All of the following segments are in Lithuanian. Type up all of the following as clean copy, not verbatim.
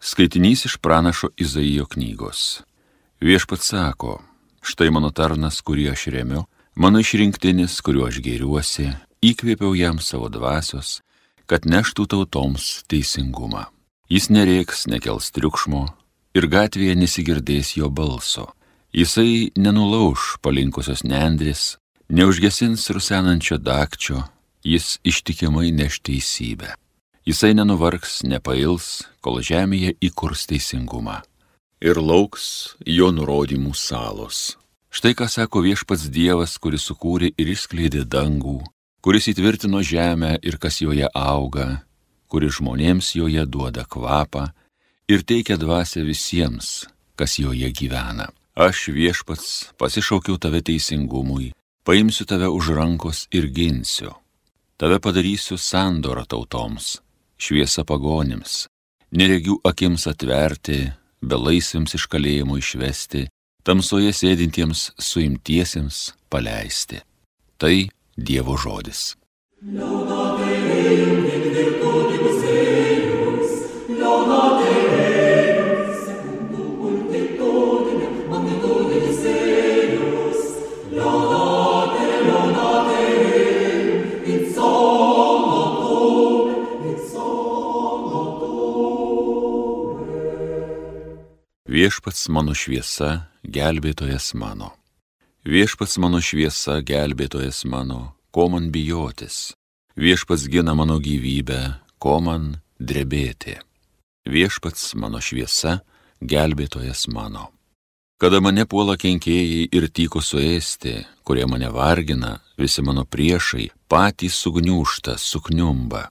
Skaitinys iš pranašo Izaijo knygos. Viešpats sako, štai mano tarnas, kurį aš remiu, mano išrinktinis, kuriuo aš gėriuosi, įkvėpiau jam savo dvasios, kad neštų tautoms teisingumą. Jis nerėks, nekels triukšmo ir gatvėje nesigirdės jo balso. Jisai nenulauš palinkusios nendrės, neužgesins rusenančio dakčio, jis ištikimai neš teisybę. Jisai nenuvargs, nepails, kol žemėje įkurs teisingumą. Ir lauks jo nurodymų salos. Štai ką sako viešpats Dievas, kuris sukūrė ir išskleidė dangų, kuris įtvirtino žemę ir kas joje auga, kuris žmonėms joje duoda kvapą ir teikia dvasią visiems, kas joje gyvena. Aš viešpats pasišaukiau tave teisingumui, paimsiu tave už rankos ir ginsiu. Tave padarysiu sandorą tautoms, šviesa pagonims, neregių akims atverti, belaisviams iš kalėjimo išvesti, tamsoje sėdintiems suimtiesiems paleisti. Tai Dievo žodis. Viešpats mano šviesa, gelbėtojas mano. Viešpats mano šviesa, gelbėtojas mano, ko man bijotis. Viešpats gina mano gyvybę, ko man drebėti. Viešpats mano šviesa, gelbėtojas mano. Kada mane puola kenkėjai ir tyko suėsti, kurie mane vargina, visi mano priešai, patys sugniūžta, sukniumba.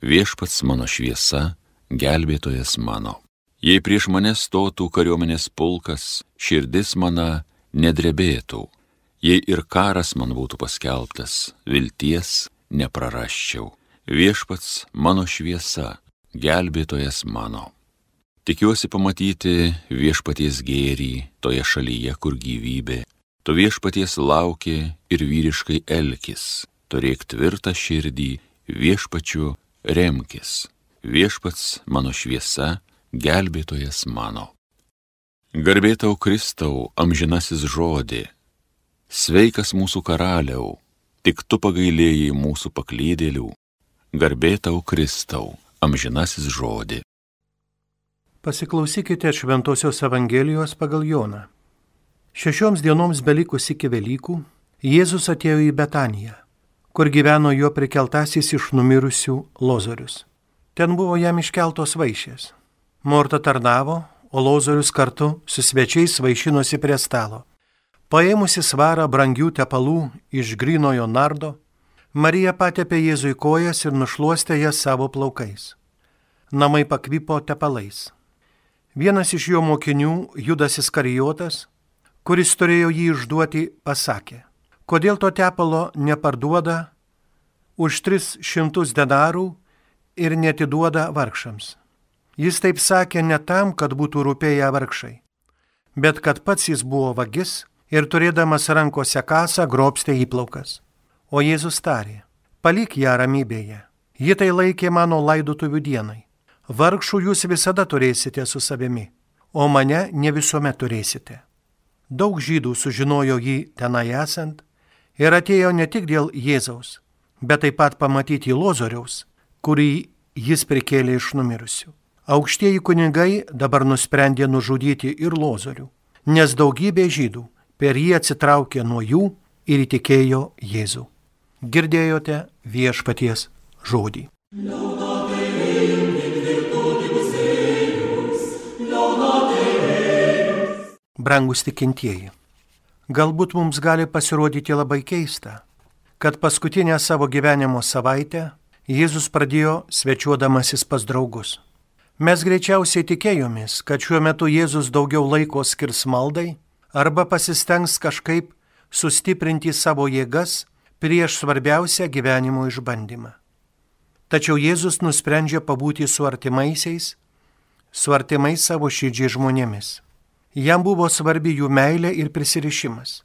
Viešpats mano šviesa, gelbėtojas mano. Jei prieš mane stotų kariuomenės pulkas, širdis mana nedrebėtų. Jei ir karas man būtų paskelbtas, vilties neprarasčiau. Viešpats mano šviesa, gelbėtojas mano. Tikiuosi pamatyti viešpaties gėrį toje šalyje, kur gyvybė. Tu viešpaties lauki ir vyriškai elkis. Turėk tvirtą širdį, viešpačiu remkis. Viešpats mano šviesa, gelbėtojas mano. Garbė tau Kristau, amžinasis žodį. Sveikas mūsų karaliau, tik tu pagailėjai mūsų paklydėlių. Garbė tau Kristau, amžinasis žodį. Pasiklausykite Šventosios Evangelijos pagal Joną. 6 dienoms belikus iki Velykų, Jėzus atėjo į Betaniją, kur gyveno jo prikeltasis iš numirusių Lozorius. Ten buvo jam iškeltos vaišės. Morta tarnavo, o Lozorius kartu su svečiais vaišinosi prie stalo. Paėmusi svarą brangių tepalų iš grynojo nardo, Marija patepė Jėzui kojas ir nušluostė jas savo plaukais. Namai pakvipo tepalais. Vienas iš jo mokinių, Judas Iskarijotas, kuris turėjo jį išduoti, pasakė: kodėl to tepalo neparduoda už 300 denarų ir neatiduoda vargšams? Jis taip sakė ne tam, kad būtų rūpėję vargšai, bet kad pats jis buvo vagis ir turėdamas rankose kasą grobstė įplaukas. O Jėzus tarė: palik ją ramybėje, ji tai laikė mano laidotuvių dienai. Vargšų jūs visada turėsite su savimi, o mane ne visuomet turėsite. Daug žydų sužinojo jį tenai esant ir atėjo ne tik dėl Jėzaus, bet taip pat pamatyti Lozoriaus, kurį jis prikėlė iš numirusių. Aukštieji kunigai dabar nusprendė nužudyti ir Lozorių, nes daugybė žydų per jį atsitraukė nuo jų ir įtikėjo Jėzų. Girdėjote viešpaties žodį. Brangus tikintieji, galbūt mums gali pasirodyti labai keista, kad paskutinę savo gyvenimo savaitę Jėzus pradėjo svečiuodamasis pas draugus. Mes greičiausiai tikėjomės, kad šiuo metu Jėzus daugiau laiko skirs maldai arba pasistengs kažkaip sustiprinti savo jėgas prieš svarbiausią gyvenimo išbandymą. Tačiau Jėzus nusprendžia pabūti su artimais savo širdžiai žmonėmis. Jam buvo svarbi jų meilė ir prisirišimas.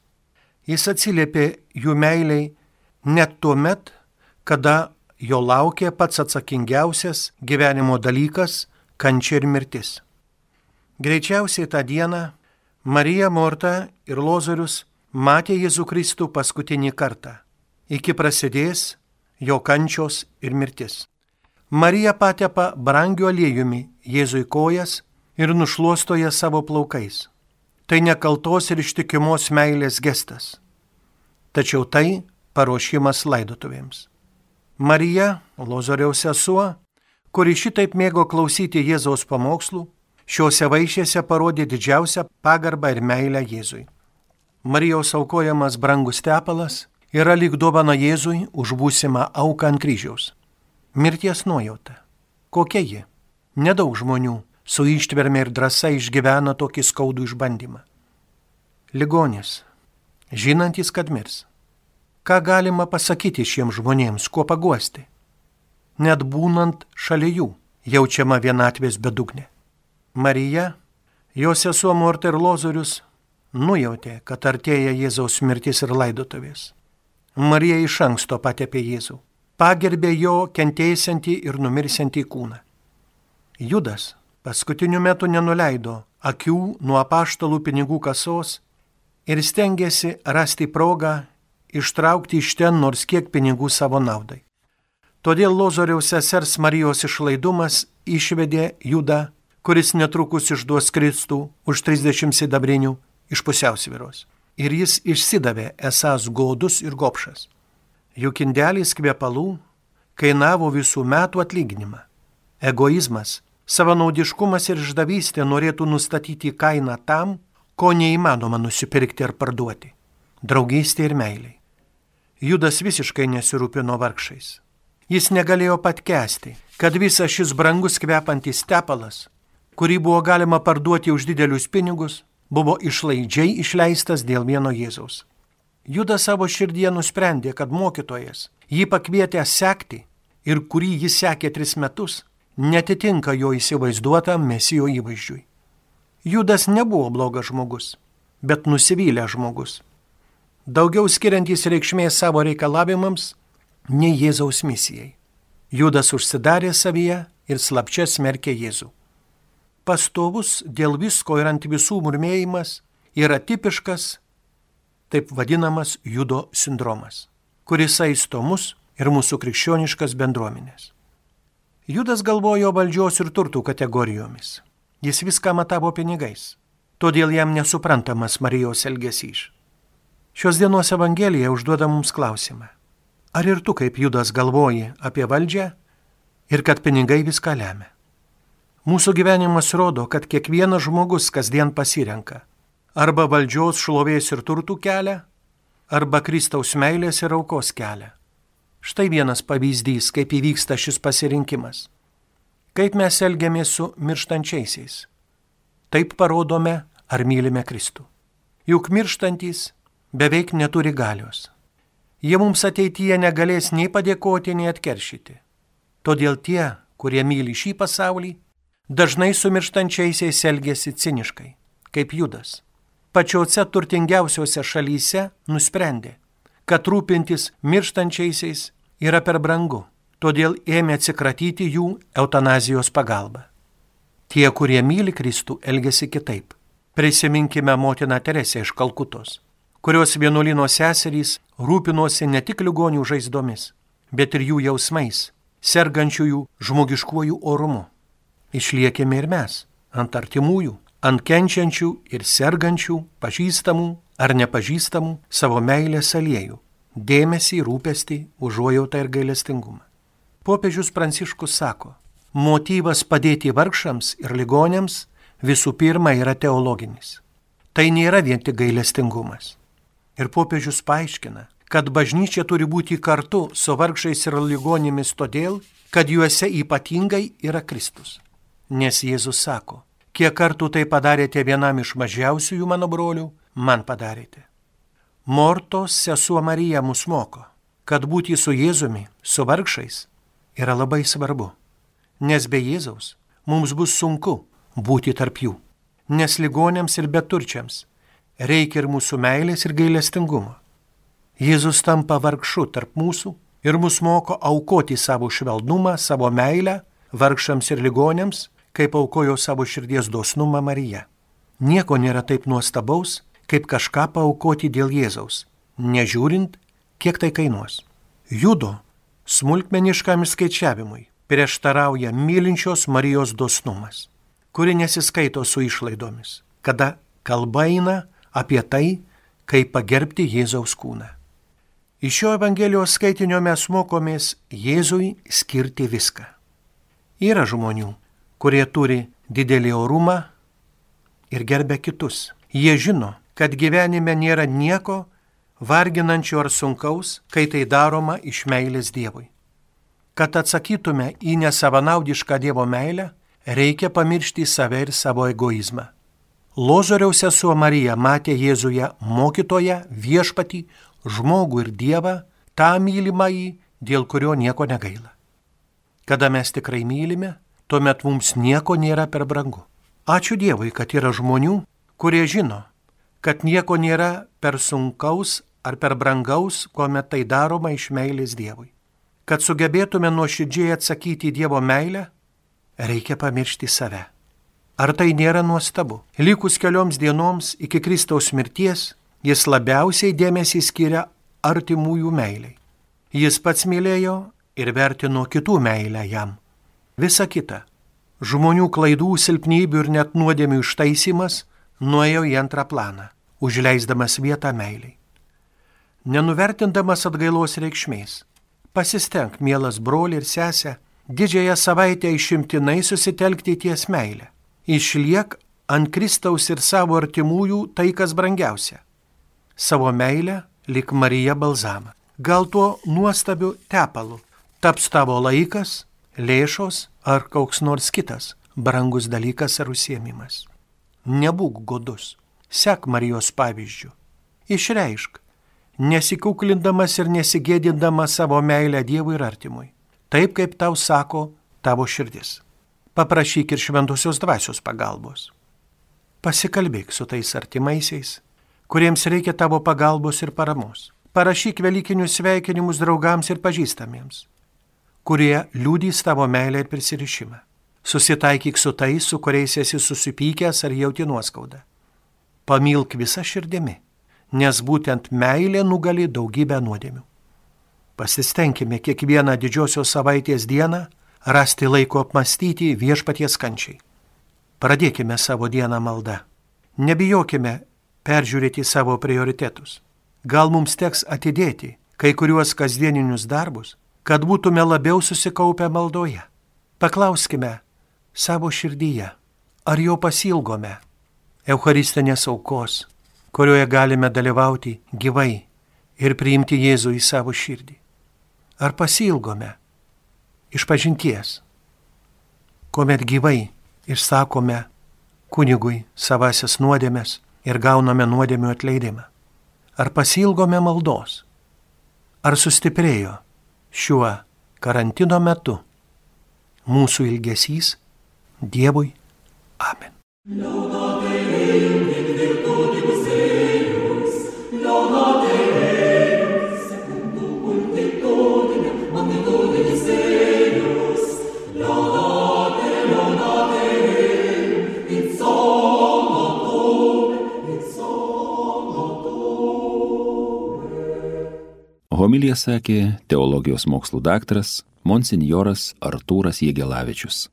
Jis atsiliepė jų meiliai net tuo met, kada jo laukė pats atsakingiausias gyvenimo dalykas – kančia ir mirtis. Greičiausiai tą dieną Marija, Morta ir Lozorius matė Jėzų Kristų paskutinį kartą, iki prasidės jo kančios ir mirtis. Marija patepa brangiu aliejumi Jėzui kojas ir nušluostoja savo plaukais. Tai nekaltos ir ištikimos meilės gestas. Tačiau tai paruošimas laidotuvėms. Marija, Lozoriaus sesuo, kuri šitaip mėgo klausyti Jėzaus pamokslų, šiuose vaišėse parodė didžiausią pagarbą ir meilę Jėzui. Marijos aukojamas brangus tepalas yra lyg dovana Jėzui už būsimą auką ant kryžiaus. Mirties nuojauta. Kokia ji? Nedaug žmonių su ištverme ir drąsa išgyvena tokį skaudų išbandymą. Ligonis, žinantis, kad mirs. Ką galima pasakyti šiems žmonėms, kuo paguosti? Net būnant šalia jų, jaučiama vienatvės bedugnė. Marija, jos sesuo Morta ir Lozorius nujautė, kad artėja Jėzaus mirtis ir laidotuvės. Marija iš anksto patepė Jėzų, pagerbė jo kentėsiantį ir numirsiantį kūną. Judas paskutiniu metu nenuleido akių nuo apaštalų pinigų kasos ir stengėsi rasti progą ištraukti iš ten nors kiek pinigų savo naudai. Todėl Lozoriaus sesers Marijos išlaidumas išvedė Judą, kuris netrukus išduos Kristų už 30 sidabrinių iš pusiausvyros. Ir jis išsidavė esąs godus ir gobšas. Juk indelis kvepalų kainavo visų metų atlyginimą. Egoizmas, savanaudiškumas ir išdavystė norėtų nustatyti kainą tam, ko neįmanoma nusipirkti ar parduoti – draugystė ir meiliai. Judas visiškai nesirūpino vargšais. Jis negalėjo patkęsti, kad visas šis brangus kvepantis tepalas, kurį buvo galima parduoti už didelius pinigus, buvo išlaidžiai išleistas dėl vieno Jėzaus. Judas savo širdyje nusprendė, kad mokytojas, jį pakvietęs sekti ir kurį jis sekė 3 metus, netitinka jo įsivaizduotam Mesijo įvaizdžiui. Judas nebuvo blogas žmogus, bet nusivylęs žmogus. Daugiau skiriantys reikšmės savo reikalavimams nei Jėzaus misijai. Judas užsidarė savyje ir slapčia smerkė Jėzų. Pastovus dėl visko ir ant visų murmėjimas yra tipiškas, taip vadinamas Judo sindromas, kuris saisto mus ir mūsų krikščioniškas bendruomenės. Judas galvojo valdžios ir turtų kategorijomis. Jis viską matavo pinigais, todėl jam nesuprantamas Marijos elgesys. Šios dienos Evangelija užduoda mums klausimą. Ar ir tu kaip Judas galvoji apie valdžią ir kad pinigai viską lemia? Mūsų gyvenimas rodo, kad kiekvienas žmogus kasdien pasirenka arba valdžios, šlovės ir turtų kelią, arba Kristaus meilės ir aukos kelią. Štai vienas pavyzdys, kaip įvyksta šis pasirinkimas. Kaip mes elgiamės su mirštančiaisiais. Taip parodome, ar mylime Kristų. Juk mirštantys beveik neturi galios. Jie mums ateityje negalės nei padėkoti, nei atkeršyti. Todėl tie, kurie myli šį pasaulį, dažnai su mirštančiaisiais elgiasi ciniškai, kaip Judas. Pačiose turtingiausiose šalyse nusprendė, kad rūpintis mirštančiaisiais yra per brangu, todėl ėmė atsikratyti jų eutanazijos pagalba. Tie, kurie myli Kristų, elgiasi kitaip. Prisiminkime motiną Teresę iš Kalkutos, kurios vienuolino seserys rūpinosi ne tik ligonių žaizdomis, bet ir jų jausmais, sergančiųjų žmogiškuoju orumu. Išliekime ir mes, ant artimųjų, ant kenčiančių ir sergančių, pažįstamų ar nepažįstamų savo meilės aliejų, dėmesį, rūpestį, užuojautą ir gailestingumą. Popiežius Pranciškus sako, motyvas padėti vargšams ir ligoniams visų pirma yra teologinis. Tai nėra vien tik gailestingumas. Ir popiežius paaiškina, kad bažnyčia turi būti kartu su vargšais ir ligonimis todėl, kad juose ypatingai yra Kristus. Nes Jėzus sako, kiek kartų tai padarėte vienam iš mažiausiųjų mano brolių, man padarėte. Mortos sesuo Marija mus moko, kad būti su Jėzumi, su vargšais, yra labai svarbu. Nes be Jėzaus mums bus sunku būti tarp jų. Nes ligoniams ir beturčiams reikia ir mūsų meilės ir gailestingumo. Jėzus tampa vargšu tarp mūsų ir mus moko aukoti savo švelnumą, savo meilę vargšams ir ligoniams kaip aukojo savo širdies dosnumą Marija. Nieko nėra taip nuostabaus, kaip kažką paaukoti dėl Jėzaus, nežiūrint, kiek tai kainuos. Judo smulkmeniškam išskaičiavimui prieštarauja mylinčios Marijos dosnumas, kuri nesiskaito su išlaidomis, kada kalba eina apie tai, kaip pagerbti Jėzaus kūną. Iš šio Evangelijos skaitinio mes mokomės Jėzui skirti viską. Yra žmonių, kurie turi didelį orumą ir gerbia kitus. Jie žino, kad gyvenime nėra nieko varginančio ar sunkaus, kai tai daroma iš meilės Dievui. Kad atsakytume į nesavanaudišką Dievo meilę, reikia pamiršti save ir savo egoizmą. Lozoriaus sesuo Marija matė Jėzuje mokytoją, viešpatį, žmogų ir Dievą, tą mylimąjį, dėl kurio nieko negaila. Kada mes tikrai mylime, tuomet mums nieko nėra per brangu. Ačiū Dievui, kad yra žmonių, kurie žino, kad nieko nėra per sunkaus ar per brangaus, kuomet tai daroma iš meilės Dievui. Kad sugebėtume nuoširdžiai atsakyti į Dievo meilę, reikia pamiršti save. Ar tai nėra nuostabu? Likus kelioms dienoms iki Kristaus mirties, jis labiausiai dėmesį skiria artimųjų meiliai. Jis pats mylėjo ir vertino kitų meilę jam. Visa kita, žmonių klaidų, silpnybių ir net nuodėmių ištaisymas, nuėjo į antrą planą, užleisdamas vietą meiliai. Nenuvertindamas atgailos reikšmės, pasistenk, mielas broli ir sesė, didžiąją savaitę išimtinai susitelkti ties meilę. Išliek ant Kristaus ir savo artimųjų tai, kas brangiausia. Savo meilę lyg Marija balzamą. Gal tuo nuostabiu tepalu taps tavo laikas, lėšos ar koks nors kitas brangus dalykas ar užsiėmimas. Nebūk godus, sek Marijos pavyzdžiu. Išreišk, nesikuklindamas ir nesigėdindamas savo meilę Dievui ir artimui, taip kaip tau sako tavo širdis. Paprašyk ir šventosios dvasios pagalbos. Pasikalbėk su tais artimaisiais, kuriems reikia tavo pagalbos ir paramos. Parašyk velykinius sveikinimus draugams ir pažįstamiems, kurie liudys tavo meilę ir prisirišimą. Susitaikyk su tais, su kuriais esi susipykęs ar jauti nuoskaudą. Pamilk visą širdimi, nes būtent meilė nugali daugybę nuodėmių. Pasistengime kiekvieną didžiosios savaitės dieną rasti laiko apmastyti viešpaties kančiai. Pradėkime savo dieną maldą. Nebijokime peržiūrėti savo prioritetus. Gal mums teks atidėti kai kuriuos kasdieninius darbus, kad būtume labiau susikaupę maldoje. Paklauskime savo širdyje, ar jo pasilgome eucharistinės aukos, kurioje galime dalyvauti gyvai ir priimti Jėzų į savo širdį. Ar pasilgome išpažinties, kuomet gyvai išsakome kunigui savasias nuodėmes ir gauname nuodėmių atleidimą. Ar pasilgome maldos? Ar sustiprėjo šiuo karantino metu mūsų ilgesys Dievui? Amen. Homiliją sakė teologijos mokslų daktaras monsinjoras Artūras Jegelavičius.